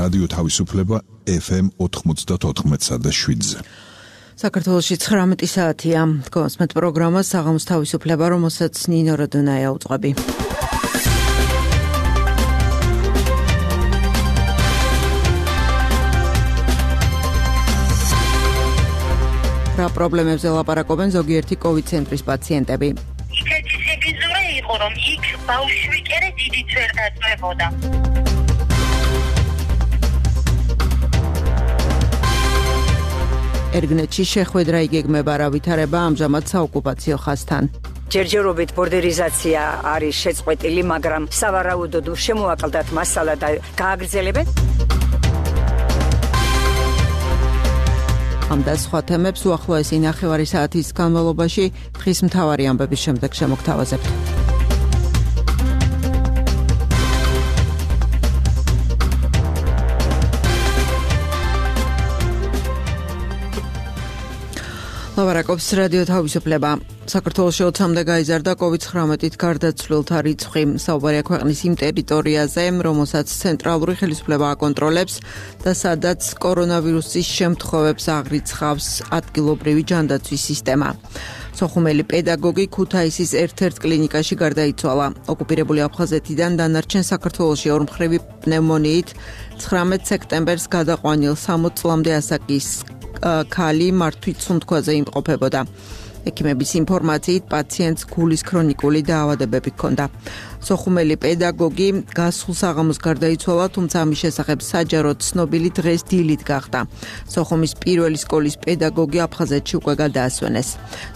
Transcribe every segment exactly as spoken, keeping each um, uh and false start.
რადიო თავისუფლება ეფ ემ ოთხმოცდაოთხ და შვიდზე. საქართველოში ცხრამეტი საათია. გოსმეთ პროგრამა საღამოს თავისუფლება, რომელსაც ნინო როდონაია უძღვები. რა პრობლემებზე ლაპარაკობენ ზოგიერთი კოვიდ ცენტრის პაციენტები? ისეთი სიბიძურე იყო, რომ იქ ბავშვი კერე დიდიც ვერ დაწვებოდა. ერგნეთში შეხვედრა იგეგმება, რა ვითარება ამჟამად საოკუპაციო ხაზთან. ჯერჯერობით ბორდერიზაცია არის შეწყვეტილი, მაგრამ სავარაუდოდ შემოაკლდათ მასალა და გააგრძელებენ. ამ და სხვა თემებს უახლოესი ნახევარი საათის განმავლობაში დღის მთავარი ამბების შემდეგ შემოგთავაზებთ. ლაპარაკობს რადიო თავისუფლება. საქართველოში ოცამდე გაიზარდა კოვიდ ცხრამეტით გარდაცვლილთა რიცხვი. საუბარია ქვეყნის იმ ტერიტორიაზე, რომელსაც ცენტრალური ხელისუფლება აკონტროლებს და სადაც კორონავირუსის შემთხვევებს აღრიცხავს ადგილობრივი ჯანდაცვის სისტემა. სოხუმელი პედაგოგი ქუთაისის ერთ-ერთ კლინიკაში გარდაიცვალა. ოკუპირებული აფხაზეთიდან დანარჩენ საქართველოში ორმხრივი პნევმონიით ცხრამეტ სექტემბერს გადაყვანილ სამოც წლამდე ასაკის ქალი მართვით სუნთქვაზე იმყოფებოდა. ექიმების ინფორმაციით პაციენტს გულის ქრონიკული დაავადებები ჰქონდა. სოხუმელი პედაგოგი გასულ საღამოს გარდაიცვალა, თუმცა ამის შესახებ საჯაროდ ცნობილი დღეს დილით გახდა. სოხუმის პირველი სკოლის პედაგოგი აფხაზეთში უკვე გადაასვენეს.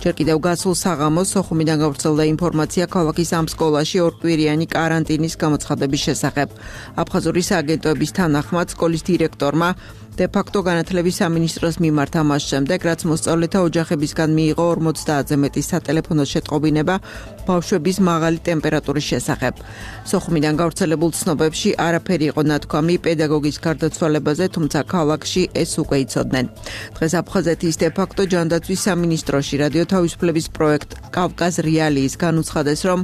ჯერ კიდევ გასულ საღამოს სოხუმიდან გავრცელდა ინფორმაცია ქალაქის ამ სკოლაში ორკვირიანი კარანტინის გამოცხადების შესახებ. აფხაზური სააგენტოების თანახმად სკოლის დირექტორმა დე-ფაქტო განათლების სამინისტროს მიმართა მას შემდეგ, რაც მოსწავლეთა ოჯახებისგან მიიღო ორმოცდაათზე მეტი სატელეფონო შეტყობინება ბავშვების მაღალი ტემპერატურის შესახებ. სოხუმიდან გავრცელებულ ცნობებში არაფერი იყო ნათქვამი პედაგოგის გარდაცვალებაზე, თუმცა ქალაქში ეს უკვე იცოდნენ. დღეს აფხაზეთის დე-ფაქტო ჯანდაცვის სამინისტროში რადიო თავისუფლების პროექტ კავკაზ რეალიის განუცხადეს, რომ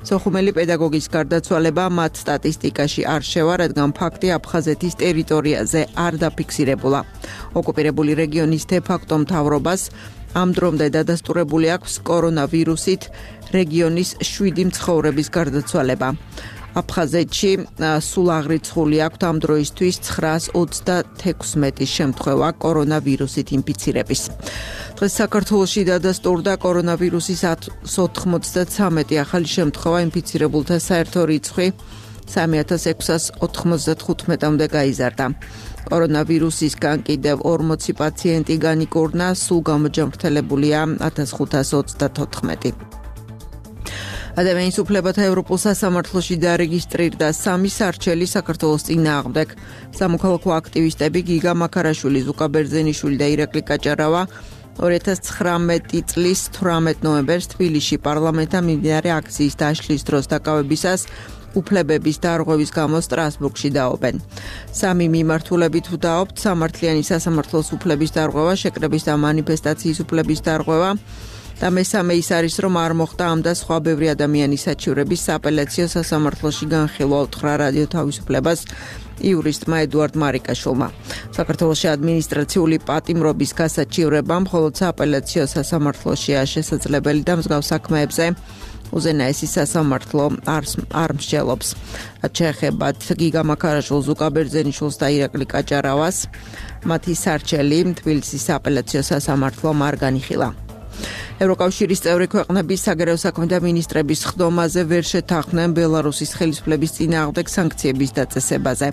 სოხუმელი პედაგოგის გარდაცვალება მათ სტატისტიკაში არ შევა, რადგან ფაქტი აფხაზეთის ტერიტორიაზე არ დაფიქსირდა. ოკუპირებული რეგიონის დე-ფაქტო მთავრობას ამ დრომდე დადასტურებული აქვს კორონავირუსით რეგიონის შვიდი მცხოვრების გარდაცვალება. აფხაზეთში სულ აღრიცხული აქვს ამ დროისთვის ცხრაას ოცდათექვსმეტი შემთხვევა კორონავირუსით ინფიცირების. დღეს საქართველოში დადასტურდა კორონავირუსის ოთხმოცდათრამეტი ახალი შემთხვევა, ინფიცირებულთა საერთო რიცხვი სამი ათას ექვსას ოთხმოცდათხუთმეტამდე გაიზარდა. კორონავირუსისგან კიდევ ორმოცი პაციენტი განიკურნა, სულ გამოჯანმრთელებულია ათას ხუთას ოცდათოთხმეტი. ადამიანის უფლებათა ევროპულ სასამართლოში დარეგისტრირდა სამი სარჩელი საქართველოს წინააღმდეგ. სამოქალაქო აქტივისტები გიგა მაქარაშვილი, ზუკა ბერძენიშვილი და ირაკლი კაჭარავა ორი ათას ცხრამეტი წლის თვრამეტ ნოემბერს თბილისში პარლამენტთან მიმდინარე აქციის დაშლის დროს დაკავებისას უფლებების დარღვევის გამო სტრასბურგში დაობენ. სამი მიმართულებით ვდაობთ: სამართლიანი სასამართლოს უფლების დარღვევა, შეკრების და მანიფესტაციის უფლების დარღვევა და მესამე ის არის, რომ არ მოხდა ამ და სხვა ბევრი ადამიანის საჩივრების სააპელაციო სასამართლოში განხილვა, უთხრა რადიო თავისუფლებას იურისტმა ედუარდ მარიკაშვილმა. საქართველოში ადმინისტრაციული პატიმრობის გასაჩივრება მხოლოდ სააპელაციო სასამართლოშია შესაძლებელი და მსგავს საქმეებზე უზენაესი სასამართლო არ მსჯელობს. შეეხებათ გიგა მაქარაშვილს, ზუკა ბერძენიშვილს და ირაკლი კაჭარავას, მათი სარჩელი თბილისის სააპელაციო სასამართლომ არ განიხილა. ევროკავშირის წევრი ქვეყნების საგარეო საქმეთა მინისტრების ხდომაზე ვერ შეთანხმდნენ ბელარუსის ხელისუფლების წინააღმდეგ სანქციების დაწესებაზე.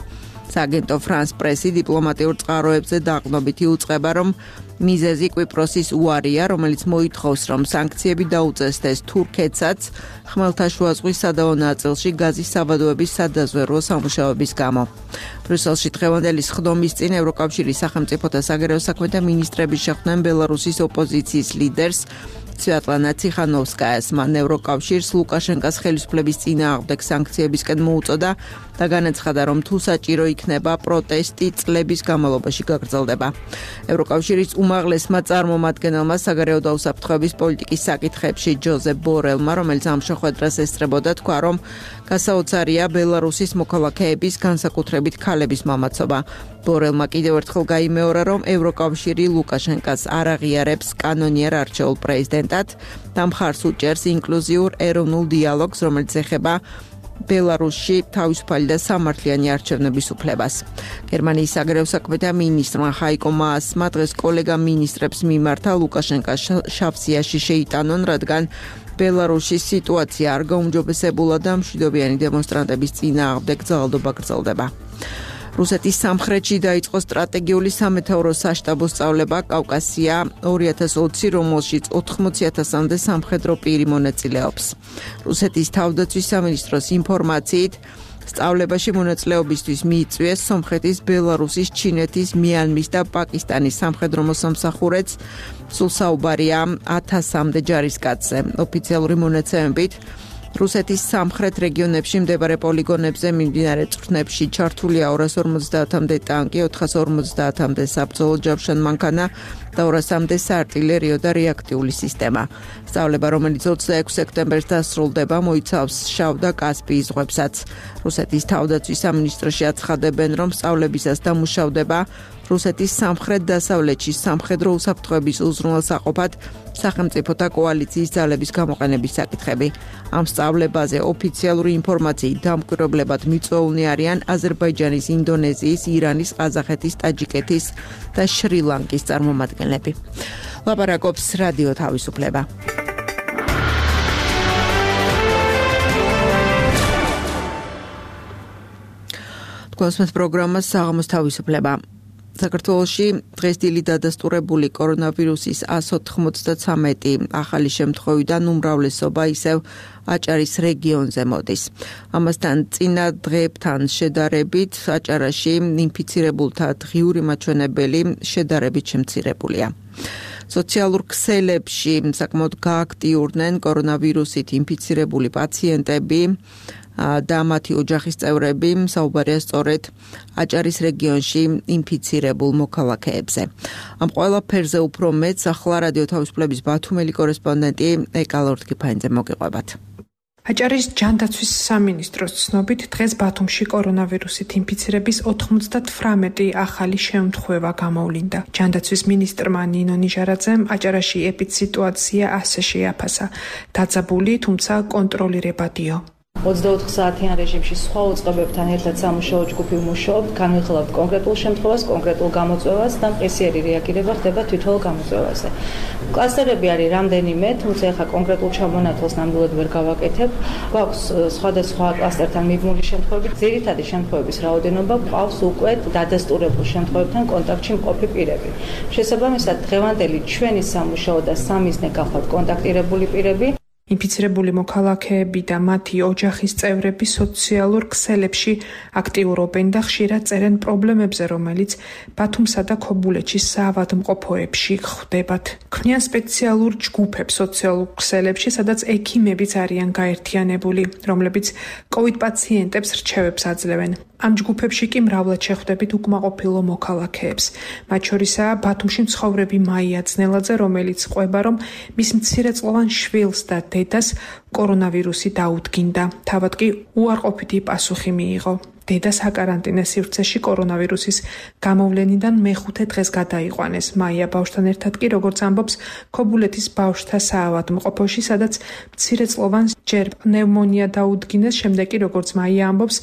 სააგენტო ფრანს პრესი დიპლომატიურ წყაროებზე დაყრდნობით იუწყება, რომ მიზეზი კვიპროსის უარია, რომელიც მოითხოვს, რომ სანქციები დაუწესდეს თურქეთსაც ხმელთაშუა ზღვის სადავო ნაწილში გაზის საბადოების სადაზვერვო სამუშაოების გამო. ბრიუსელში დღევანდელი სხდომის წინ ევროკავშირის სახელმწიფოთა საგარეო საქმეთა მინისტრები შეხვდნენ ბელარუსის ოპოზიციის ლიდერს სვიატლანა ციხანოვსკაიას. მან ევროკავშირს ლუკაშენკას ხელისუფლების წინააღმდეგ სანქციებისკენ მოუწოდა და განაცხადა, რომ თუ საჭირო იქნება, პროტესტი წლების განმავლობაში გაგრძელდება. ევროკავშირის უმაღლესმა წარმომადგენელმა საგარეო დაუსაფრთხოების პოლიტიკის საკითხებში ჯოზეფ ბორელმა, რომელიც ამ შეხვედრას ესწრებოდა, თქვა, რომ გასაოცარია ბელარუსის მოქალაქეების, განსაკუთრებით ქალების მამაცობა. ბორელმა კიდევ ერთხელ გაიმეორა, რომ ევროკავშირი ლუკაშენკას არ აღიარებს კანონიერ არჩეულ პრეზიდენტად და მხარს უჭერს ინკლუზიურ ეროვნულ დიალოგს, რომელიც ეხება ბელარუსში თავისუფალი და სამართლიანი არჩევნების უფლებას. გერმანიის საგარეო საქმეთა მინისტრმა ხაიკო მაასმა დღეს კოლეგა მინისტრებს მიმართა ლუკაშენკას შავსიაში შეიტანონ, რადგან ბელარუსის სიტუაცია არ გაუმჯობესებულა და მშვიდობიანი დემონსტრანტების წინააღმდეგ ძალადობა გრძელდება. რუსეთის სამხრეთში დაიწყო სტრატეგიული სამეთაურო საშტაბო სწავლება კავკასია ორი ათას ოცი, რომელშიც ოთხმოცი ათასამდე სამხედრო პირი მონაწილეობს. რუსეთის თავდაცვის სამინისტროს ინფორმაციით, სწავლებაში მონაწილეობისთვის მიიწვიეს სომხეთის, ბელარუსის, ჩინეთის, მიანმის და პაკისტანის სამხედრო მოსამსახურეც. სულ საუბარია ათასამდე ჯარისკაცზე. ოფიციალური მონაცემებით რუსეთის სამხრეთ რეგიონებში მდებარე პოლიგონებზე მიმდინარე წვრთნებში ჩართულია ორას ორმოცდაათამდე ტანკი, ოთხას ორმოცდაათამდე საბრძოლო ჯავშან მანქანა და ორასამდე საარტილერიო და რეაქტიული სისტემა. სწავლება, რომელიც ოცდაექვსი სექტემბერს დასრულდება, მოიცავს შავ და კასპიის ზღვებსაც. რუსეთის თავდაცვის სამინისტროში აცხადებენ, რომ სწავლებისას დამუშავდება რუსეთის სამხრეთ-დასავლეთში სამხედრო უსაფრთხოების უზრუნველსაყოფად სახელმწიფოთა კოალიციის ძალების გამოყენების საკითხები. ამ სწავლებაზე ოფიციალური ინფორმაციით დამკვირვებლებად მიწვეულნი არიან აზერბაიჯანის, ინდონეზიის, ირანის, ყაზახეთის, ტაჯიკეთის და შრი-ლანკის წარმომადგენლები. ლაპარაკობს რადიო თავისუფლება. თქვენს პროგრამას საღამოს თავისუფლება. საქართველოში დღეს დილით დადასტურებული კორონავირუსის ას ოთხმოცდათრამეტი ახალი შემთხვევიდან უმრავლესობა ისევ აჭარის რეგიონზე მოდის. ამასთან წინა დღეებთან შედარებით აჭარაში ინფიცირებულთა დღიური მაჩვენებელი შედარებით შემცირებულია. სოციალურ ქსელებში საკმაოდ გააქტიურდნენ კორონავირუსით ინფიცირებული პაციენტები და მათი ოჯახის წევრები, საუბარია სწორედ აჭარის რეგიონში ინფიცირებულ მოქალაქეებზე. ამ ყველაფერზე უფრო მეტს ახლა რადიო თავისუფლების ბათუმელი კორესპონდენტი ეკალორთკიფაინძე მოგიყვებათ. აჭარის ჯანდაცვის სამინისტროს ცნობით დღეს ბათუმში კორონავირუსით ინფიცირების ოთხმოცდათვრამეტი ახალი შემთხვევა გამოვლინდა. ჯანდაცვის მინისტრმა ნინო ნიჟარაძემ აჭარაში ეპიდსიტუაცია ასე შეაფასა. დაძაბული, თუმცა კონტროლირებადიო. ოცდაოთხ საათიან რეჟიმში სხვა უწყებებთან ერთად სამუშაო ჯგუფი მუშაობთ, განვიხილავთ კონკრეტულ შემთხვევას, კონკრეტულ გამოწვევას და მყისიერი რეაგირება ხდება თვითონ გამოწვევაზე. კლასტერები არის რამდენიმე, თუმცა ახლა კონკრეტულ ჩამონათვალს ნამდვილად ვერ გავაკეთებ. გვაქვს სხვადასხვა კლასტერთან მიბმული შემთხვევები, ძირითადი შემთხვევების რაოდენობა გვყავს უკვე დადასტურებულ შემთხვევებთან კონტაქტში მყოფი პირები. შესაბამისად, დღევანდელი ჩვენი სამუშაო და სამიზნე გახლავთ კონტაქტირებული პირები. ინფიცირებული მოქალაქეები და მათი ოჯახის წევრები სოციალურ ქსელებში აქტიურობენ და ხშირად წერენ პრობლემებზე, რომელიც ბათუმსა და ქობულეთში საავადმყოფოებში ხვდებათ. ქმნიან სპეციალურ ჯგუფებს სოციალურ ქსელებში, სადაც ექიმებიც არიან გაერთიანებული, რომლებიც კოვიდ პაციენტებს რჩევებს აძლევენ. ამ ჯგუფებში კი მრავლად შეხვდებით უკმაყოფილო მოქალაქეებს. მათ შორისაა ბათუმში მცხოვრები მაია ძნელაძე, რომელიც ყვება, რომ მის მცირეწლოვან შვილს და დედას კორონავირუსი დაუდგინდა. თავად კი უარყოფითი პასუხი მიიღო. დედა საკარანტინე სივრცეში კორონავირუსის გამოვლენიდან მეხუთე დღეს გადაიყვანეს. მაია ბავშვთან ერთად კი, როგორც ამბობს, ქობულეთის ბავშვთა საავადმყოფოში, სადაც მცირეწლოვანს ჯერ პნევმონია დაუდგინეს, შემდეგ კი, როგორც მაია ამბობს,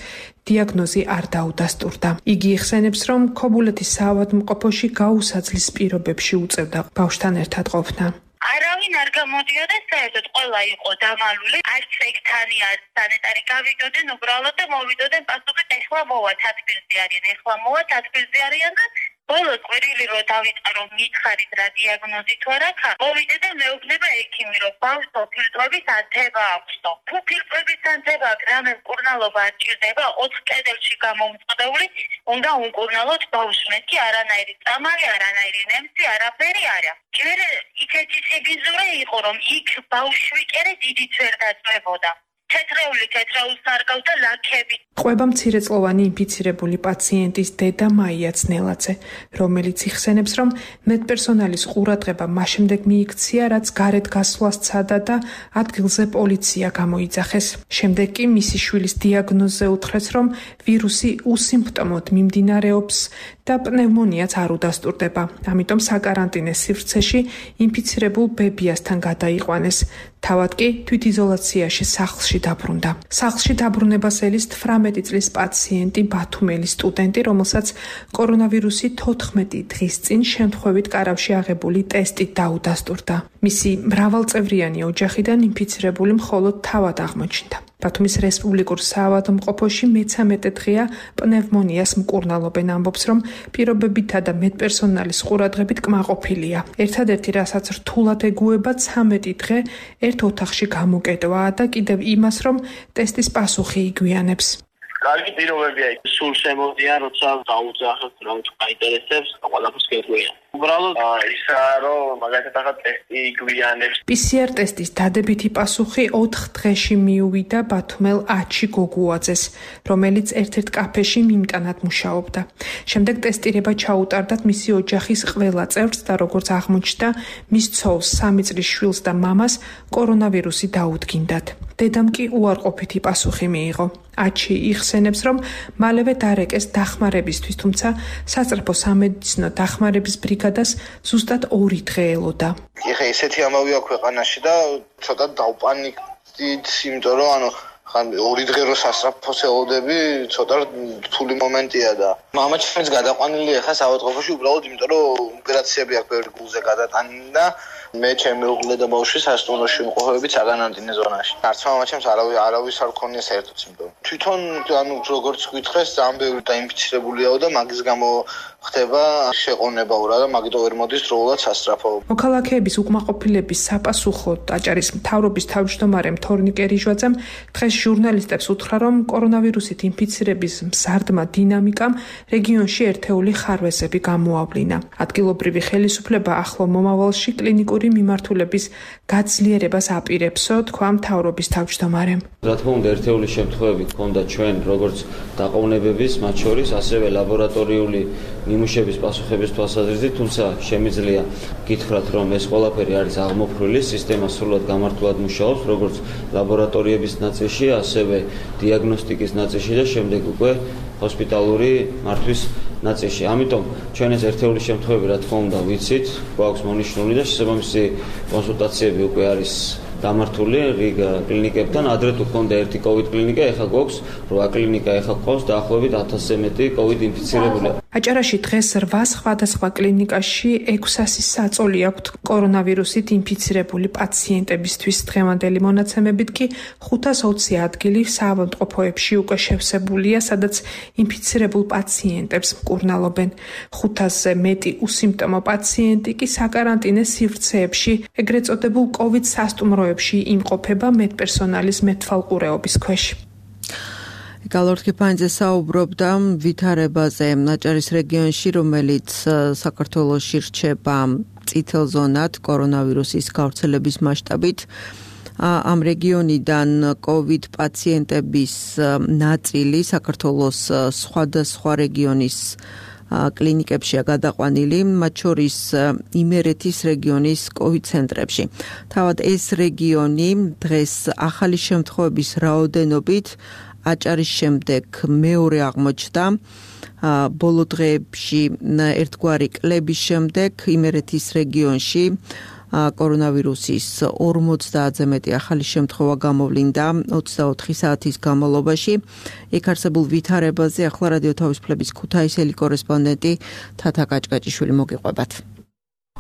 დიაგნოზი არ დაუდასტურდა. იგი იხსენებს, რომ ქობულეთის საავადმყოფოში გაუსაძლის პირობებში უწევდა ბავშვთან ერთად ყოფნა. არავინ არ გამოდიოდა, საერთოდ ყველა იყო დამალული, არც ექთანი, არც სანიტარი გავიდოდნენ, უბრალოდ და მოვიდოდნენ პასუხით, ეხლა მოვა თათბირზე არიან, ეხლა მოვა თათბირზე არიან და ბოლოს ყვირილი რო დავიწყარო მითხარით რა დიაგნოზი თუ არა ქა მოვიდე და მეუბნება ექიმი რომ ბავშვო ფილტრების ანთება აქვსო თუ ფილტრების ანთება რამე მკურნალობა არჭირდება ოთხ კედელში გამომწყდეული უნდა უმკურნალოთ ბავშვს მეთქი არანაირი წამალი არანაირი ნემსი არაფერი არა ჯერ იქეთი სიბინძურე იყო რომ იქ ბავშვი კერე დიდიც ვერ დაწვებოდა თეთრეული თეთრაულს არგავდა ლაქები. ყვება მცირეწლოვანი ინფიცირებული პაციენტის დედა მაია ძნელაძე, რომელიც იხსენებს, რომ მედპერსონალის ყურადღება მას შემდეგ მიიქცია, რაც გარეთ გასვლას ცადა და ადგილზე პოლიცია გამოიძახეს. შემდეგ კი მისი შვილის დიაგნოზზე უთხრეს, რომ ვირუსი უსიმპტომოდ მიმდინარეობს და პნევმონიაც არ უდასტურდება. ამიტომ საკარანტინე სივრცეში ინფიცირებულ ბებიასთან გადაიყვანეს. თავად კი თვითიზოლაციაში სახლში დაბრუნდა. სახლში დაბრუნებას ელის თვრამეტი წლის პაციენტი ბათუმელი სტუდენტი, რომელსაც კორონავირუსი თოთხმეტი დღის წინ შემთხვევით კარავში აღებული ტესტი დაუდასტურდა. მისი მრავალწევრიანი ოჯახიდან ინფიცირებული მხოლოდ თავად აღმოჩნდა. ბათუმის რესპუბლიკურ საავადმყოფოში მეცამეტე დღეა პნევმონიას მკურნალობენ, ამბობს, რომ პირობებითა და მედპერსონალის ყურადღებით კმაყოფილია. ერთადერთი, რასაც რთულად ეგუება, ცამეტი დღე ერთ ოთახში გამოკეტვაა და კიდევ იმას, რომ ტესტის პასუხი იგვიანებს. კარგი პირობებია, სულ შემოდიან, როცა დაუძახოთ, რომ გაინტერესებს, ყველაფერს გეტყვია. უბრალოდ ისაა, რომ მაგალითად ახლა ტესტი იგვიანებს. პი სი არ ტესტის დადებითი პასუხი ოთხ დღეში მიუვიდა ბათუმელ აჩი გოგუაძეს, რომელიც ერთ-ერთ კაფეში მიმტანად მუშაობდა. შემდეგ ტესტირება ჩაუტარდათ მისი ოჯახის ყველა წევრს და როგორც აღმოჩნდა, მის ცოლს, სამი წლის შვილს და მამას კორონავირუსი დაუდგინდათ. დედამ კი უარყოფითი პასუხი მიიღო. აჩი იხსენებს, რომ მალევე დარეკეს დახმარებისთვის, თუმცა სასწრაფო სამედიცინო დახმარების ბრიგადას ზუსტად ორი დღე ელოდა. ეხა ესეთი ამბავია ქვეყანაში და ცოტა დავპანიკდით, იმიტომ რომ ანუ ხან ორი დღე რო სასწრაფოს ელოდები, ცოტა რთული მომენტია და მამა ჩვენს გადაყვანილი ეხა საავადმყოფოში უბრალოდ იმიტომ რომ ოპერაციები აქვს ბევრი გულზე გადატანილი და მე ჩემი უღლე და ბავშვი სასტუმროში იმყოფებით საკარანტინე ზონაში. არც მამაჩემს არავის არავის არ ქონია საერთოდ სიმპტომი. თვითონ ანუ როგორც გითხეს, ძალიან ბევრი დაინფიცირებულიაო და მაგის გამო ხდება შეყონებაურა და მაგიტო ვერ მოდის დროულად სასწრაფო. მოქალაქეების უკმაყოფილების საპასუხოდ აჭარის მთავრობის თავმჯდომარე თორნიკე რიჟვაძემ დღეს ჟურნალისტებს უთხრა, რომ კორონავირუსით ინფიცირების მზარდმა დინამიკამ რეგიონში ერთეული ხარვეზები გამოავლინა. ადგილობრივი ხელისუფლება ახლო მომავალში კლინიკური მიმართულების გაძლიერებას აპირებსო, თქვა მთავრობის თავმჯდომარემ. რა თქმა უნდა, ერთეული შემთხვევები ჰქონდა ჩვენ როგორც დაყოვნებების, მათ შორის ასევე ლაბორატორიული ნიმუშების პასუხების თვალსაზრისით, თუმცა შემიძლია გითხრათ, რომ ეს ყველაფერი არის აღმოფხვრილი, სისტემა სრულად გამართულად მუშაობს, როგორც ლაბორატორიების ნაწილში, ასევე დიაგნოსტიკის ნაწილში და შემდეგ უკვე ჰოსპიტალური მართვის ნაწილში. ამიტომ ჩვენ ეს ერთეული შემთხვევები, რა თქმა უნდა, ვიცით, გვაქვს მონიშნული და შესაბამისი კონსულტაციები უკვე არის დამართული რიგ კლინიკებთან. ადრე თუ ჰქონდა ერთი კოვიდ კლინიკა, ეხლა გვაქვს რვა კლინიკა, ეხლა გვყავს დაახლოებით ათასზე მეტი კოვიდ ინფიცირებული. აჭარაში დღეს რვა სხვადასხვა კლინიკაში ექვსასი საწოლი აქვთ კორონავირუსით ინფიცირებული პაციენტებისთვის. დღევანდელი მონაცემებით კი ხუთას ოცი ადგილი საავადმყოფოებში უკვე შევსებულია, სადაც ინფიცირებულ პაციენტებს მკურნალობენ. ხუთასზე მეტი უსიმპტომო პაციენტი კი საკარანტინე სივრცეებში, ეგრეთ წოდებულ კოვიდ სასტუმროებში იმყოფება მედპერსონალის მეთვალყურეობის ქვეშ. გალორთქიფანიძე საუბრობდა ვითარებაზე აჭარის რეგიონში, რომელიც საქართველოში რჩება წითელ ზონად კორონავირუსის გავრცელების მასშტაბით. ამ რეგიონიდან კოვიდ პაციენტების ნაწილი საქართველოს სხვადასხვა რეგიონის კლინიკებშია გადაყვანილი, მათ შორის იმერეთის რეგიონის კოვიდ ცენტრებში. თავად ეს რეგიონი დღეს ახალი შემთხვევების რაოდენობით აჭარის შემდეგ მეორე აღმოჩნდა. ბოლო დღეებში ერთგვარი კლების შემდეგ იმერეთის რეგიონში კორონავირუსის ორმოცდაათზე მეტი ახალი შემთხვევა გამოვლინდა ოცდაოთხი საათის განმავლობაში. იქ არსებულ ვითარებაზე ახლა რადიო თავისუფლების ქუთაისელი კორესპონდენტი თათა კაჭკაჭიშვილი მოგიყვებათ.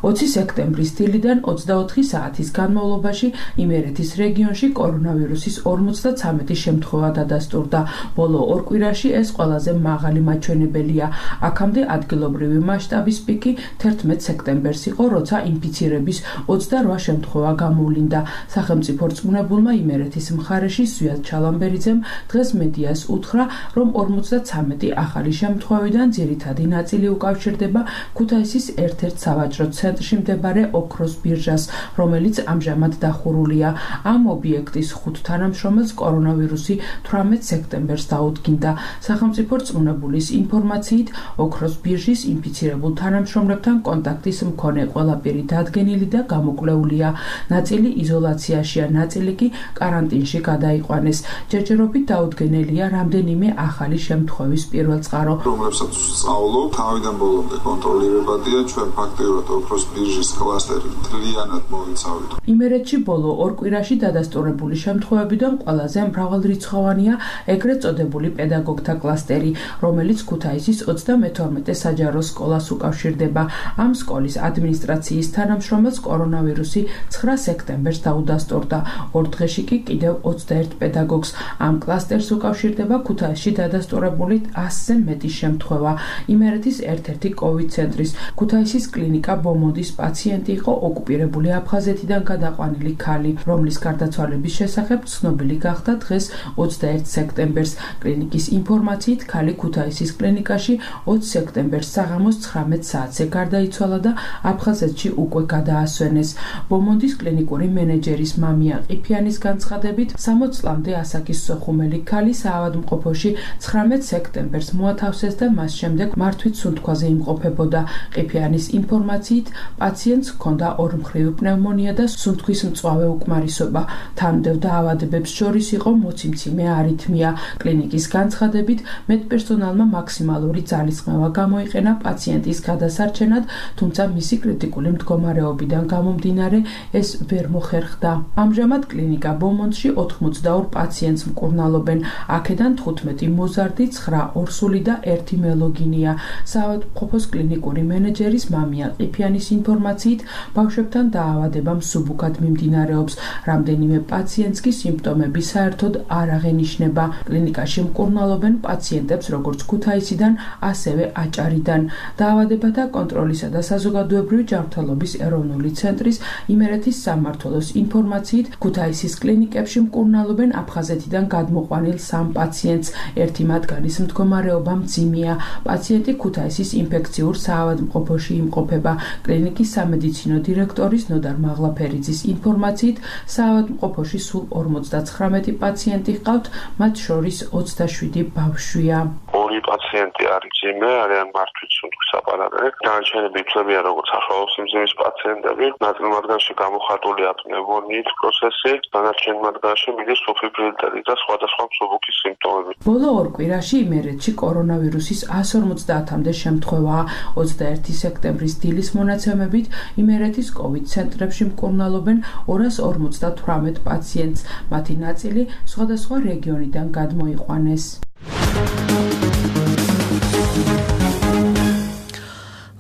ოცი სექტემბრის დილიდან ოცდაოთხი საათის განმავლობაში იმერეთის რეგიონში კორონავირუსის ორმოცდაცამეტი შემთხვევა დადასტურდა. ბოლო ორ კვირაში ეს ყველაზე მაღალი მაჩვენებელია. აქამდე ადგილობრივი მასშტაბის პიკი თერთმეტ სექტემბერს იყო, როცა ინფიცირების ოცდარვა შემთხვევა გამოვლინდა. სახელმწიფო რწმუნებულმა იმერეთის მხარეში ზვიად ჩალამბერიძემ დღეს მედიას უთხრა, რომ ორმოცდაცამეტი ახალი შემთხვევიდან ძირითადი ნაწილი უკავშირდება ქუთაისის ერთ-ერთ სავაჭრო ცენტრში მდებარე ოქროს ბირჟას, რომელიც ამჟამად დახურულია. ამ ობიექტის ხუთ თანამშრომელს კორონავირუსი თვრამეტ სექტემბერს დაუდგინდა. სახელმწიფო რწმუნებულის ინფორმაციით, ოქროს ბირჟის ინფიცირებულ თანამშრომლებთან კონტაქტის მქონე ყველა პირი დადგენილი და გამოკვლეულია. ნაწილი იზოლაციაშია, ნაწილი კი კარანტინში გადაიყვანეს. ჯერჯერობით დაუდგენელია რამდენიმე ახალი შემთხვევის პირველ წყარო. რომლებსაც სწავლობ, თავიდან ბოლომდე კონტროლირებადია, ჩვენ ფაქტიურად ოქროს ბირჟის კლასტერი მთლიანად მოიცავთ. იმერეთში ბოლო ორ კვირაში დადასტურებული შემთხვევებიდან ყველაზე მრავალრიცხოვანია ეგრეთ წოდებული პედაგოგთა კლასტერი, რომელიც ქუთაისის ოცდამეთორმეტე საჯარო სკოლას უკავშირდება. ამ სკოლის ადმინისტრაციის თანამშრომელს კორონავირუსი ცხრა სექტემბერს დაუდასტურდა. ორ დღეში კი კიდევ ოცდაერთ პედაგოგს. ამ კლასტერს უკავშირდება ქუთაისში დადასტურებული ასზე მეტი შემთხვევა. იმერეთის ერთ-ერთი კოვიდ ცენტრის ქუთაისის კლინიკა ბომონდის პაციენტი იყო ოკუპირებული აფხაზეთიდან გადაყვანილი ქალი, რომლის გარდაცვალების შესახებ ცნობილი გახდა დღეს ოცდაერთ სექტემბერს. კლინიკის ინფორმაციით, ქალი ქუთაისის კლინიკაში ოცი სექტემბერს საღამოს ცხრამეტ საათზე გარდაიცვალა და აფხაზეთში უკვე გადაასვენეს. ბომონდის კლინიკური მენეჯერის მამია ყიფიანის განცხადებით, სამოც წლამდე ასაკის სოხუმელი ქალი საავადმყოფოში ცხრამეტ სექტემბერს მოათავსეს და მას შემდეგ მართვით სუნთქვაზე იმყოფებოდა. ყიფიანის ინფორმაციით, პაციენტს ჰქონდა ორმხრივი პნევმონია და სუნთქვის მწვავე უკმარისობა. თანმდევ დაავადებებს შორის იყო მოციმციმე არითმია. კლინიკის განცხადებით, მედპერსონალმა მაქსიმალური ძალისხმევა გამოიყენა პაციენტის გადასარჩენად, თუმცა მისი კრიტიკული მდგომარეობიდან გამომდინარე ეს ვერ მოხერხდა. ამჟამად კლინიკა ბომონდში ოთხმოცდაორ პაციენტს მკურნალობენ. აქედან თხუთმეტი მოზარდი, ცხრა ორსული და ერთი მელოგინია. საავადმყოფოს კლინიკური მენეჯერის მამია ყიფიანის ინფორმაციით, ბავშვებთან დაავადება მსუბუქად მიმდინარეობს. რამდენიმე პაციენტს კი სიმპტომები საერთოდ არ აღენიშნება. კლინიკაში მკურნალობენ პაციენტებს როგორც ქუთაისიდან, ასევე აჭარიდან. დაავადებათა კონტროლისა და საზოგადოებრივი ჯანმრთელობის ეროვნული ცენტრის იმერეთის სამმართველოს ინფორმაციით, ქუთაისის კლინიკებში მკურნალობენ აფხაზეთიდან გადმოყვანილ სამ პაციენტს. ერთი მათგანის მდგომარეობა მძიმეა. პაციენტი ქუთაისის ინფექციურ საავადმყოფოში იმყოფება. კლინიკის სამედიცინო დირექტორის ნოდარ მაღლაფერიძის ინფორმაციით, საავადმყოფოში სულ ორმოცდაცხრამეტი პაციენტი ჰყავთ, მათ შორის ოცდაშვიდი ბავშვია. ორი პაციენტი არის მძიმე, არიან მართვით სუნთქვის აპარატზე. დანარჩენები იცვლებიან როგორც საშუალო სიმძიმის პაციენტები. ნაწილ მათგანში გამოხატულია პნევმონიის პროცესი, დანარჩენ მათგანში მიდის სუფიბრილიტეტი და სხვადასხვა მსუბუქი სიმპტომები. ბოლო ორ კვირაში იმერეთში კორონავირუსის ასი ორმოცდაათამდე შემთხვევაა. ოცდაერთი სექტემბრის დილის მონაცემებით იმერეთის კოვიდ ცენტრებში მკურნალობენ ორას ორმოცდათვრამეტ პაციენტს. მათი ნაწილი სხვადასხვა რეგიონიდან გადმოიყვანეს.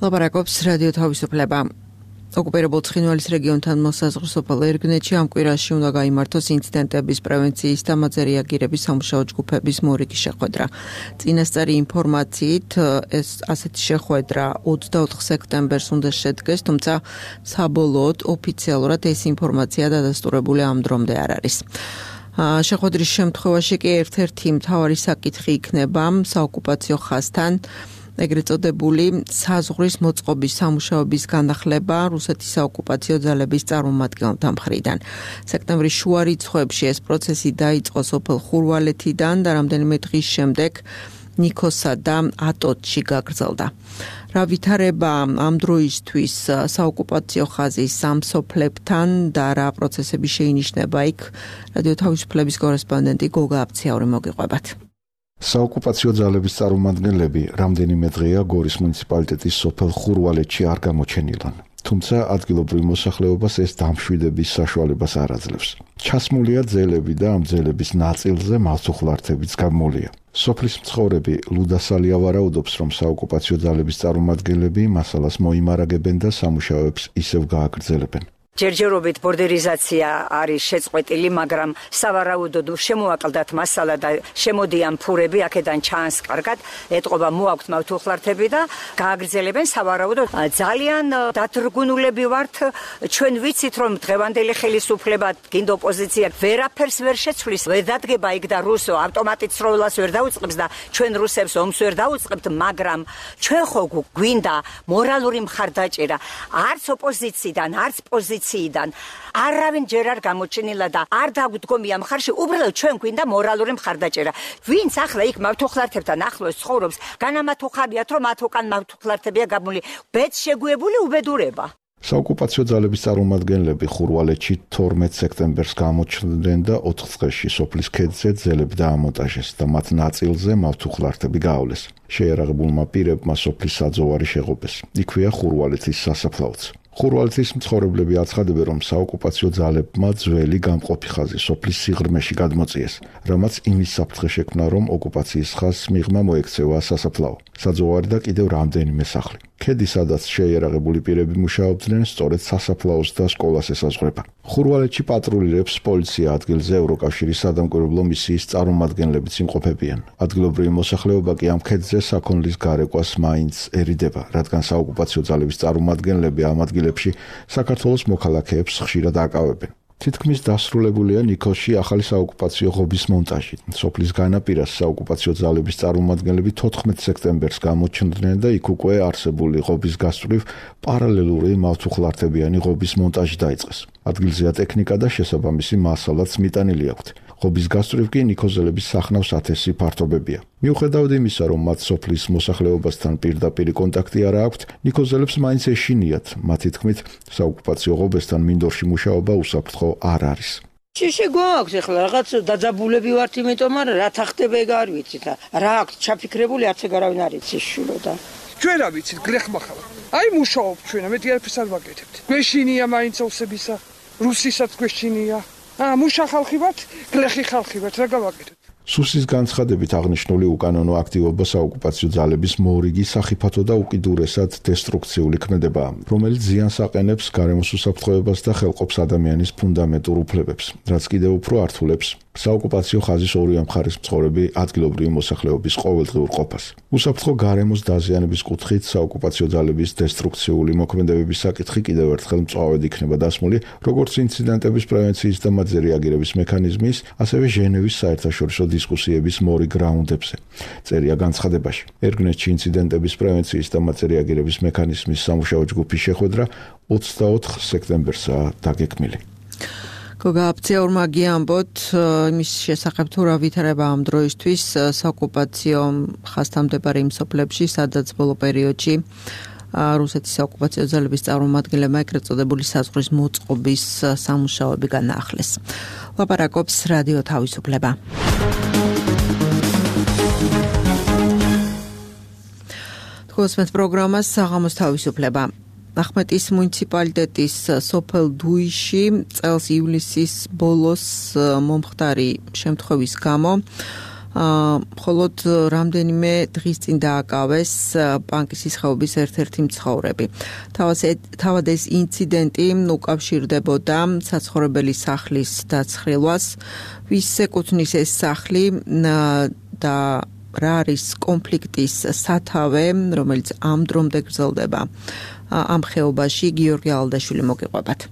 ლაპარაკობს რადიო თავისუფლება. ოკუპირებულ ცხინვალის რეგიონთან მოსაზღვრე სოფელ ერგნეთში ამ კვირაში უნდა გაიმართოს ინციდენტების პრევენციის და მათზე რეაგირების სამუშაო ჯგუფების მორიგი შეხვედრა. წინასწარი ინფორმაციით ეს ასეთი შეხვედრა ოცდაოთხ სექტემბერს უნდა შედგეს, თუმცა საბოლოოდ ოფიციალურად ეს ინფორმაცია დადასტურებული ამ დრომდე არ არის. შეხვედრის შემთხვევაში კი ერთ-ერთი მთავარი საკითხი იქნება საოკუპაციო ხაზთან ეგრეთ წოდებული საზღვრის მოწყობის სამუშაოების განახლება რუსეთის საოკუპაციო ძალების წარმომადგენელთა მხრიდან. სექტემბრის შუა რიცხვებში ეს პროცესი დაიწყო სოფელ ხურვალეთიდან და რამდენიმე დღის შემდეგ ნიქოსა და ატოტში გაგრძელდა. რა ვითარება ამ დროისთვის საოკუპაციო ხაზის სამსოფლებთან და რა პროცესები შეინიშნება იქ, რადიო თავისუფლების კორესპონდენტი გოგა აფციაური მოგიყვებათ. საოკუპაციო ძალების წარმომადგენლები რამდენიმე დღეა გორის მუნიციპალიტეტის სოფელ ხურვალეთში არ გამოჩენილან. თუმცა ადგილობრივ მოსახლეობას ეს დამშვიდების საშუალებას არ აძლევს. ჩასმულია ძელები და ამ ძელების ნაწილზე მალსუხლართებიც გამოლია. სოფლის მცხოვრები ლუდა სალია ვარაუდობს, რომ საოკუპაციო ძალების წარმომადგენლები მასალას მოიმარაგებენ და სამუშაოებს ისევ გააგრძელებენ. ჯერჯერობით ბორდერიზაცია არის შეწყვეტილი, მაგრამ სავარაუდოდ შემოაკლდათ მასალა და შემოდიან ფურები, აქედან ჩანს კარგად, ეტყობა მოაქვთ მავთუხლართები და გააგრძელებენ სავარაუდოდ. ძალიან დათრგუნულები ვართ, ჩვენ ვიცით, რომ დღევანდელი ხელისუფლება, გინდ ოპოზიცია ვერაფერს ვერ შეცვლის, ვერ დადგება იქ და რუსო ავტომატით სროლას ვერ დაუწყებს და ჩვენ რუსებს ომს ვერ დაუწყებთ, მაგრამ ჩვენ ხო გვინდა მორალური მხარდაჭერა, არც ოპოზიციიდან, არც პოზიციიდან იდან არავინ ჯერ არ გამოჩენილა და არ დაგვდგომია მხარში, უბრალოდ ჩვენ გვინდა მორალური მხარდაჭერა. ვინც ახლა იქ მავთუხლართებთან ახლოს ცხოვრობს, განამათუხარიათ, რომ მათ უკან მავთუხლართებია გამული, ბედს შეგუებული უბედურება. საოკუპაციო ძალების წარმომადგენლები ხურვალეთში თორმეტ სექტემბერს გამოჩნდნენ და ოთხ წელში სოფლის ქედზე ძელები დაამონტაჟეს და მათ ნაწილზე მავთუხლართები გაავლეს. შეიარაღებულმა პირებმა სოფლის საძოვარი შეღობეს. იქვეა ხურვალეთის სასაფლაოც. ხურვალეთის მცხოვრებლები აცხადებენ, რომ საოკუპაციო ძალებმა ძველი გამყოფი ხაზი სოფლის სიღრმეში გადმოწიეს, რამაც იმის საფრთხე შექმნა, რომ ოკუპაციის ხაზს მიღმა მოექცევა სასაფლაო, საძოვარი და კიდევ რამდენიმე სახლი. ქედი, სადაც შეიარაღებული პირები მუშაობდნენ, სწორედ სასაფლაოს და სკოლას ესაზღვრება. ხურვალეთში პატრულირებს პოლიცია ადგილზე ევროკავშირის სადამკვირვებლო მისიის წარმომადგენლებიც იმყოფებიან. ადგილობრივი მოსახლეობა კი ამ ქედზე საქონლის გარეკვას მაინც ერიდება, რადგან საოკუპაციო ძალების წარმომადგენლები ამ ადგილებში საქართველოს მოქალაქეებს ხშირად აკავებენ. თითქმის დასრულებულია ნიქოზში ახალი საოკუპაციო ღობის მონტაჟი. სოფლის განაპირას საოკუპაციო ძალების წარმომადგენლები თოთხმეტ სექტემბერს გამოჩნდნენ და იქ უკვე არსებული ღობის გასწვრივ პარალელური მავთუხლართებიანი ღობის მონტაჟი დაიწყეს. ადგილზეა ტექნიკა და შესაბამისი მასალაც მიტანილი აქვთ. ღობის გასწვრივ კი ნიქოზელების სახნავს ათასი ფართობებია. მიუხედავად იმისა, რომ მათ სოფლის მოსახლეობასთან პირდაპირ კონტაქტი არ აქვთ, ნიქოზელებს მაინც ეშინიათ. მათი თქმით, საოკუპაციო ღობესთან მინდორში მუშაობა უსაფრთხო არ არის. ჭიში გვაქვს ახლა რაღაც დაძაბულები ვართ, იმიტომ რომ რათა ხდება ეგ არ ვიცით. რა აქვს ჩაფიქრებული, არც ეგ არავინ არ იცის შვილო და ჩვენ რა ვიცით, გლეხმახალა. აი მუშაობ ჩვენ, მეტი არაფერს არ ვაკეთებთ. გვეშინია მაინც ოსებისა, რუსისაც გვეშინია. აა მუშა ხალხი ვართ, გლეხი ხალხი ვართ, რა გავაკეთოთ? სუსის განცხადებით აღნიშნული უკანონო აქტივობა საოკუპაციო ძალების მორიგი სახიფათო და უკიდურესად დესტრუქციული ქმედებაა, რომელიც ზიანს აყენებს გარემოს უსაფრთხოებას და ხელყოფს ადამიანის ფუნდამენტურ უფლებებს, რაც კიდევ უფრო ართულებს საოკუპაციო ხაზის ორივე მხარის მცხოვრები ადგილობრივი მოსახლეობის ყოველდღიურ ყოფას. უსაფრთხო გარემოს დაზიანების კუთხით საოკუპაციო ძალების დესტრუქციული მოქმედებების საკითხი კიდევ ერთხელ მწვავედ იქნება დასმული, როგორც ინციდენტების პრევენციის და მათზე რეაგირების მექანიზმის, ასევე ჟენევის საერთაშორისო დისკუსიების მორიგ რაუნდებზე. წერია განცხადებაში. ერგნესტში ინციდენტების პრევენციის და მათზე რეაგირების მექანიზმის სამუშაო ჯგუფის შეხვედრა ოცდაოთხ სექტემბერსაა დაგეგმილი. გოგა აფციაურმა გიამბოთ იმის შესახებ თუ რა ვითარება ამ დროისთვის საოკუპაციო ხაზთან მდებარე იმ სოფლებში, სადაც ბოლო პერიოდში რუსეთის საოკუპაციო ძალების წარმომადგენლებმა ეგრეთ წოდებული საზღვრის მოწყობის სამუშაოები განაახლეს. ლაპარაკობს რადიო თავისუფლება. თქვენს პროგრამას საღამოს თავისუფლება. ახმეტის მუნიციპალიტეტის სოფელ დუიში წელს ივლისის ბოლოს მომხდარი შემთხვევის გამო მხოლოდ რამდენიმე დღის წინ დააკავეს პანკისის ხეობის ერთ-ერთი მცხოვრები. თავად ეს ინციდენტი უკავშირდებოდა საცხოვრებელი სახლის დაცხრილვას, ვის ეკუთვნის ეს სახლი და რა არის კონფლიქტის სათავე, რომელიც ამ დრომდე გრძელდება ამ ხეობაში. გიორგი ალდაშვილი მოგიყვებათ.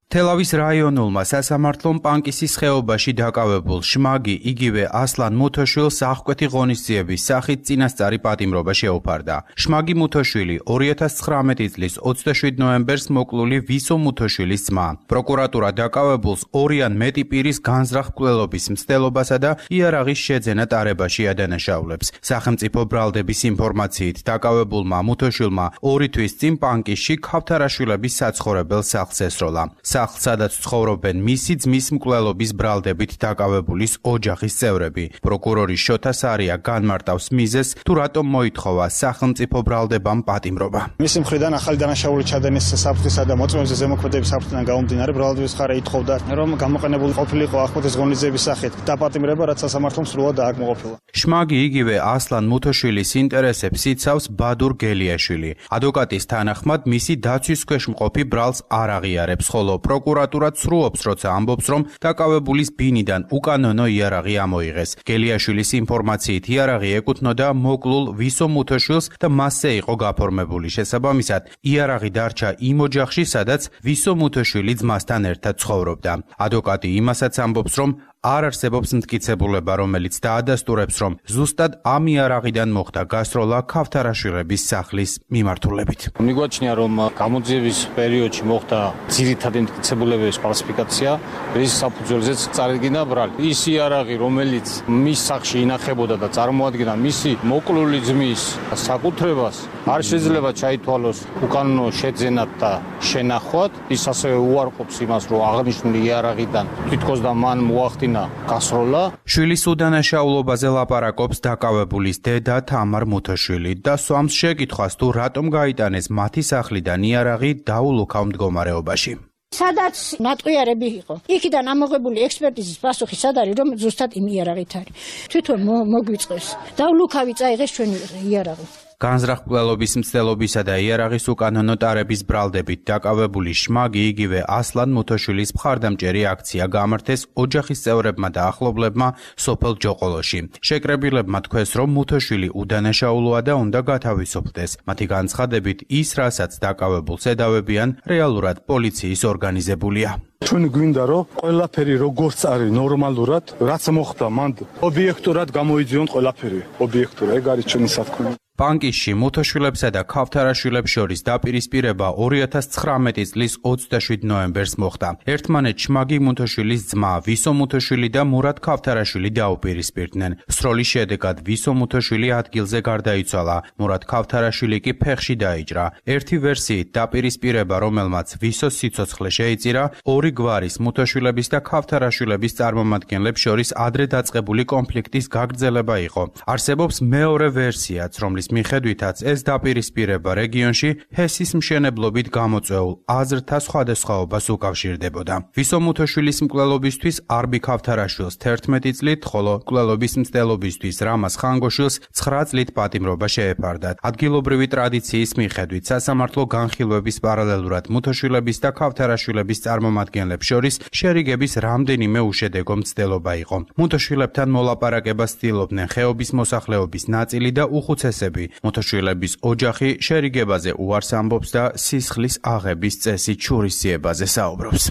თელავის რაიონულმა სასამართლომ პანკისის ხეობაში დაკავებულ შმაგი იგივე ასლან მუთოშვილს აღკვეთი ღონისძიების სახით წინასწარი პატიმრობა შეუფარდა. შმაგი მუთოშვილი ორი ათას ცხრამეტი წლის ოცდაშვიდ ნოემბერს მოკლული ვისო მუთოშვილის ძმა. პროკურატურა დაკავებულს ორი ან მეტი პირის განზრახ მკვლელობის მცდელობასა და იარაღის შეძენა ტარებაში ადანაშაულებს. სახელმწიფო ბრალდების ინფორმაციით დაკავებულმა მუთოშვილმა ორი თვის წინ პანკისში ქავთარაშვილების საცხოვრებელ სახლს ესროლა. სახლს, სადაც ცხოვრობენ მისი ძმის მკვლელობის ბრალდებით დაკავებულის ოჯახის წევრები. პროკურორი შოთა სარია განმარტავს მიზეზს, თუ რატომ მოითხოვა სახელმწიფო ბრალდებამ პატიმრობა. მისი მხრიდან ახალი დანაშაული ჩადენის საფრთხისა და მოწმეებზე ზემოქმედების საფრთხიდან გამომდინარე ბრალდების მხარე ითხოვდა, რომ გამოყენებული ყოფილიყო ახმეტის ღონისძიების სახით დაპატიმრება, რაც სასამართლომ სრულად დააკმაყოფილა. შმაგი იგივე ასლან მუთოშვილის ინტერესებს იცავს ბადურ გელიაშვილი. ადვოკატის თანახმად მისი დაცვის ქვეშ მყოფი ბრალს არ აღიარებს, ხოლო პროკურატურა ცრუობს, როცა ამბობს, რომ დაკავებულის ბინიდან უკანონო იარაღი ამოიღეს. გელიაშვილის ინფორმაციით იარაღი ეკუთვნოდა მოკლულ ვისო მუთოშვილს და მასზე იყო გაფორმებული. შესაბამისად, იარაღი დარჩა იმ ოჯახში, სადაც ვისო მუთოშვილი ძმასთან ერთად ცხოვრობდა. ადვოკატი იმასაც ამბობს, რომ არ არსებობს მტკიცებულება, რომელიც დაადასტურებს, რომ ზუსტად ამ იარაღიდან მოხდა გასროლა ქავთარაშვილების სახლის მიმართულებით. მიგვაჩნია, რომ გამოძიების პერიოდში მოხდა ძირითადი მტკიცებულებების ფალსიფიკაცია, რის საფუძველზეც წარდგინა ბრალი. ის იარაღი, რომელიც მის სახლში ინახებოდა და წარმოადგენდა მისი მოკლული ძმის საკუთრებას, არ შეიძლება ჩაითვალოს უკანონო შეძენად და შენახვად. ის ასევე უარყოფს იმას, რომ აღნიშნული იარაღიდან თითქოს და მან მოახდინა გასროლა. შვილის უდანაშაულობაზე ლაპარაკობს დაკავებულის დედა თამარ მუთოშვილი და სვამს შეკითხვას, თუ რატომ გაიტანეს მათი სახლიდან იარაღი დაულუქავ მდგომარეობაში. სადაც ნატყვიარები იყო. იქიდან ამოღებული ექსპერტიზის პასუხი სად არის, რომ ზუსტად იმ იარაღით არის. თვითონ მოგვიწყეს. დაულუქავი წაიღეს ჩვენი იარაღი. განზრახ-მკვლელობის მცდელობისა და იარაღის უკანონო ტარების ბრალდებით დაკავებული შმაგი იგივე ასლან მუთოშვილის მხარდამჭერი აქცია გამართეს ოჯახის წევრებმა და ახლობლებმა სოფელ ჯოყოლოში. შეკრებილებმა თქვეს, რომ მუთოშვილი უდანაშაულოა და უნდა გათავისუფლდეს. მათი განცხადებით, ის, რასაც დაკავებულს ედავებიან, რეალურად პოლიციის ორგანიზებულია. ჩვენ გვინდა, რომ ყველაფერი როგორც არის ნორმალურად, რაც მოხდა, მანდ ობიექტურად გამოიძიონ ყველაფერი. ობიექტურად, ეგ არის ჩვენი სათქმელი. პანკისში მუთოშვილებსა და ქავთარაშვილებს შორის დაპირისპირება ორი ათას ცხრამეტი წლის ოცდაშვიდ ნოემბერს მოხდა. ერთმანეთს შმაგი მუთოშვილის ძმა ვისო მუთოშვილი და მურატ ქავთარაშვილი დაუპირისპირდნენ. სროლის შედეგად ვისო მუთოშვილი ადგილზე გარდაიცვალა, მურატ ქავთარაშვილი კი ფეხში დაიჭრა. ერთი ვერსიით დაპირისპირება, რომელმაც ვისოს სიცოცხლე შეიწირა, ორი გვარის მუთოშვილების და ქავთარაშვილების წარმომადგენლებს შორის ადრე დაწყებული კონფლიქტის გაგრძელება იყო. არსებობს მეორე ვერსიაც, რომლის მიხედვითაც ეს დაპირისპირება რეგიონში ჰესის მშენებლობით გამოწვეულ აზრთა სხვადასხვაობას უკავშირდებოდა. ვისო მუთოშვილის მკვლელობისთვის არბი ქავთარაშვილს თერთმეტი წლით, ხოლო მკვლელობის მცდელობისთვის რამაზ ხანგოშვილს ცხრა წლით პატიმრობა შეეფარდათ. ადგილობრივი ტრადიციის მიხედვით სასამართლო განხილვების პარალელურად მუთოშვილების და ქავთარაშვილების წარმომადგენლებს შორის შერიგების რამდენიმე უშედეგო მცდელობა იყო. მუთოშვილებთან მოლაპარაკებას ცდილობდნენ ხეობის მოსახლეობის ნაწილი და უხუცესები. მუთოშვილების ოჯახი შერიგებაზე უარს ამბობს და სისხლის აღების წესით შურისძიებაზე საუბრობს.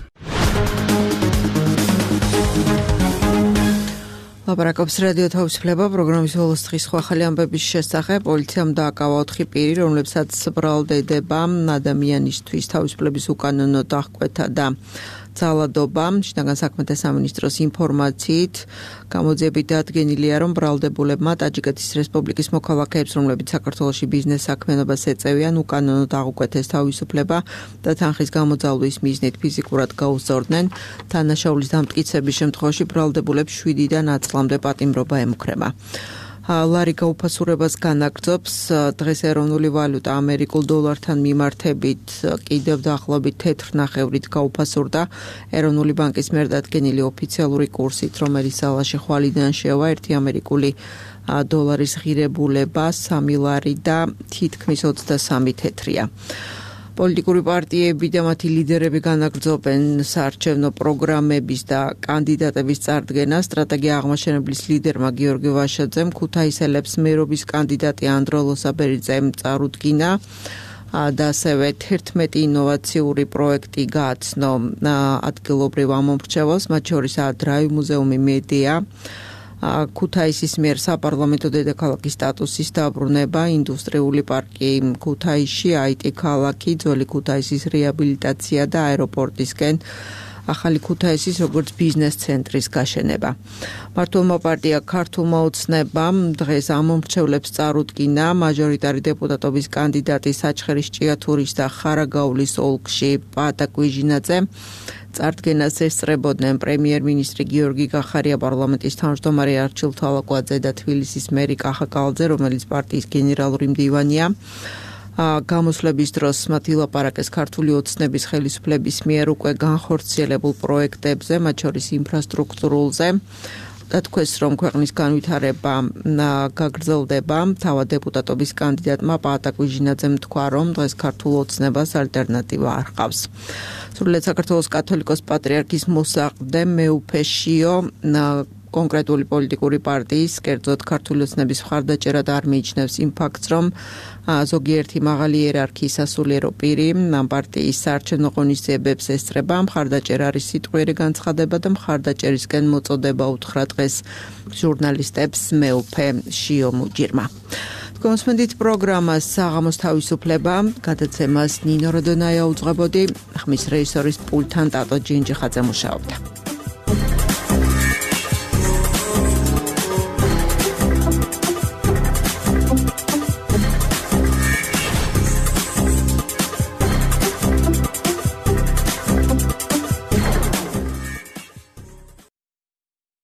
ლაპარაკობს რადიო თავისუფლება პროგრამის ბოლოს დღის სხვა ახალი ამბების შესახებ. პოლიციამ დააკავა ოთხი პირი, რომლებსაც ბრალდება ადამიანისთვის თავისუფლების უკანონო დახკვეთა და ძალადობა. შინაგან საქმეთა სამინისტროს ინფორმაციით გამოძიებით დადგენილია, რომ ბრალდებულებმა ტაჯიკეთის რესპუბლიკის მოქალაქეებს, რომლებიც საქართველოში ბიზნეს საქმიანობას ეწევიან, უკანონოდ აღუკვეთეს თავისუფლება და თანხის გამოძალვის მიზნით ფიზიკურად გაუსწორდნენ. თანაშაულის დამტკიცების შემთხვევაში ბრალდებულებს შვიდიდან ათი წლამდე პატიმრობა ემუქრება. ლარი გაუფასურებას განაგრძობს. დღეს ეროვნული ვალუტა ამერიკულ დოლართან მიმართებით კიდევ დაახლოებით თეთრნახევრით გაუფასურდა. ეროვნული ბანკის მიერ დადგენილი ოფიციალური კურსით, რომელიც სალაში ხვალიდან შევა, ერთი ამერიკული დოლარის ღირებულება სამი ლარი და თითქმის ოცდასამი თეთრია. პოლიტიკური პარტიები და მათი ლიდერები განაგრძობენ საარჩევნო პროგრამების და კანდიდატების წარდგენას. სტრატეგია აღმაშენებლის ლიდერმა გიორგი ვაშაძემ ქუთაისელებს მერობის კანდიდატი ანდრო ლოსაბერიძემ წარუდგინა და ასევე თერთმეტი ინოვაციური პროექტი გააცნო ადგილობრივ ამომრჩეველს, მათ შორისაა დრაივ მუზეუმი მედია, ქუთაისის მიერ საპარლამენტო დედაქალაქის სტატუსის დაბრუნება, ინდუსტრიული პარკი ქუთაისში, აიტი ქალაქი, ძველი ქუთაისის რეაბილიტაცია და აეროპორტისკენ ახალი ქუთაისის როგორც ბიზნეს ცენტრის გაშენება. მართლმა პარტია ქართულმა ოცნებამ დღეს ამომრჩევლებს წარუდგინა მაჟორიტარი დეპუტატობის კანდიდატი საჩხერის ჭიათურის და ხარაგაულის ოლქში პაატა კვიჟინაძე. წარდგენას ესწრებოდნენ პრემიერ-მინისტრი გიორგი გახარია, პარლამენტის თავმჯდომარე არჩილ თვალაკვაძე და თბილისის მერი კახა კალძე, რომელიც პარტიის გენერალური მდივანია. გამოსვლების დროს მათ ილაპარაკეს ქართული ოცნების ხელისუფლების მიერ უკვე განხორციელებულ პროექტებზე, მათ შორის ინფრასტრუქტურულზე. დათქვეს, რომ ქვეყნის განვითარება გაგრძელდება. თავად დეპუტატობის კანდიდატმა პაატა კვიჟინაძემ თქვა, რომ დღეს ქართულ ოცნებას ალტერნატივა არ ჰყავს. სრულიად საქართველოს კათოლიკოს პატრიარქის მოსაყდე მეუფე შიო კონკრეტული პოლიტიკური პარტიის, კერძოდ ქართული ოცნების მხარდაჭერა და არ მიიჩნევს იმ ფაქტს, რომ ზოგიერთი მაღალი იერარქიის სასულიერო პირი ამ პარტიის საარჩევნო ღონისძიებებს ესწრება. მხარდაჭერა არის სიტყვიერი განცხადება და მხარდაჭერისკენ მოწოდება უთხრა დღეს ჟურნალისტებს მეუფე შიო მუჯირმა. კონსმენდით პროგრამას საღამოს თავისუფლება, გადაცემას ნინო როდონაია უძღვებოდი, ხმის რეჟისორის პულტთან ტატო ჯინჯიხაძე მუშაობდა.